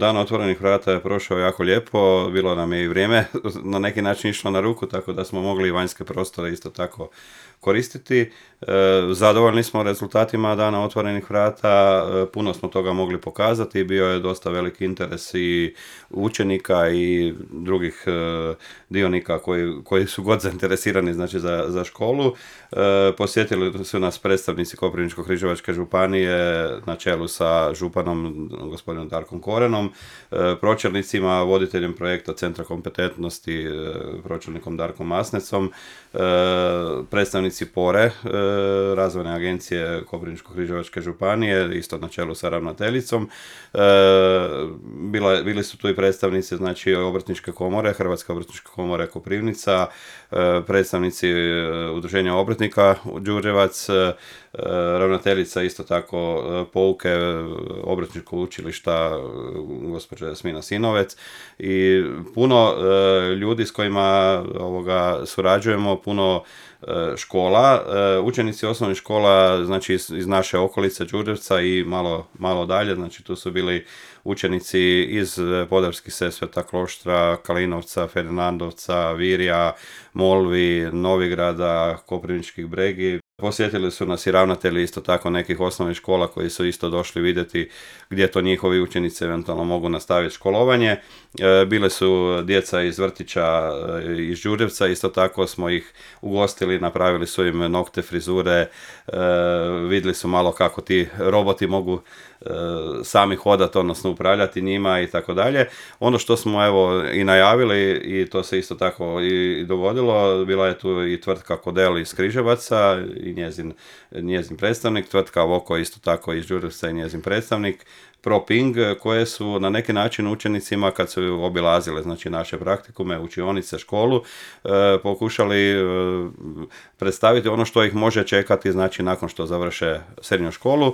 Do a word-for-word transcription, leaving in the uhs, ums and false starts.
Dan otvorenih vrata je prošao jako lijepo, bilo nam je i vrijeme na neki način išlo na ruku, tako da smo mogli i vanjske prostore isto tako koristiti. Zadovoljni smo rezultatima Dana otvorenih vrata, puno smo toga mogli pokazati, bio je dosta veliki interes i učenika i drugih dionika koji, koji su god zainteresirani znači, za, za školu. Posjetili su nas predstavnici Koprivničko-križevačke županije na čelu sa županom gospodinom Darkom Korenom, pročelnicima, voditeljem projekta Centra kompetentnosti pročelnikom Darkom Masnecom, predstavnici Pore, razvojne agencije Koprivničko-križevačke županije, isto na čelu sa ravnateljicom. Bila, bili su tu i predstavnici znači, Obrtničke komore, Hrvatske obrtničke komore Koprivnica, predstavnici Udruženja obrtnika Đurđevac, ravnateljica isto tako pouke Obrtničkog učilišta gospođa Jasmina Sinovec i puno ljudi s kojima ovoga surađujemo, puno škola, učenici osnovnih škola znači iz, iz naše okolice Đurđevca i malo, malo dalje, znači tu su bili učenici iz Podravskih Sesveta, Kloštra, Kalinovca, Ferdinandovca, Virja, Molvi, Novigrada, Koprivničkih Bregi. Posjetili su nas i ravnatelji isto tako nekih osnovnih škola koji su isto došli vidjeti gdje to njihovi učenici eventualno mogu nastaviti školovanje. Bile su djeca iz vrtića iz Đurđevca, isto tako smo ih ugostili, napravili su im nokte, frizure, vidjeli su malo kako ti roboti mogu sami hodati, odnosno upravljati njima i tako dalje. Ono što smo evo i najavili i to se isto tako i dogodilo, bila je tu i tvrtka Kodel iz Križevaca i njezin, njezin predstavnik, tvrtka Voko isto tako iz Đurđevca i njezin predstavnik, ProPing, koje su na neki način učenicima kad su obilazile znači naše praktikume, učionice, školu, e, pokušali e, predstaviti ono što ih može čekati znači nakon što završe srednju školu.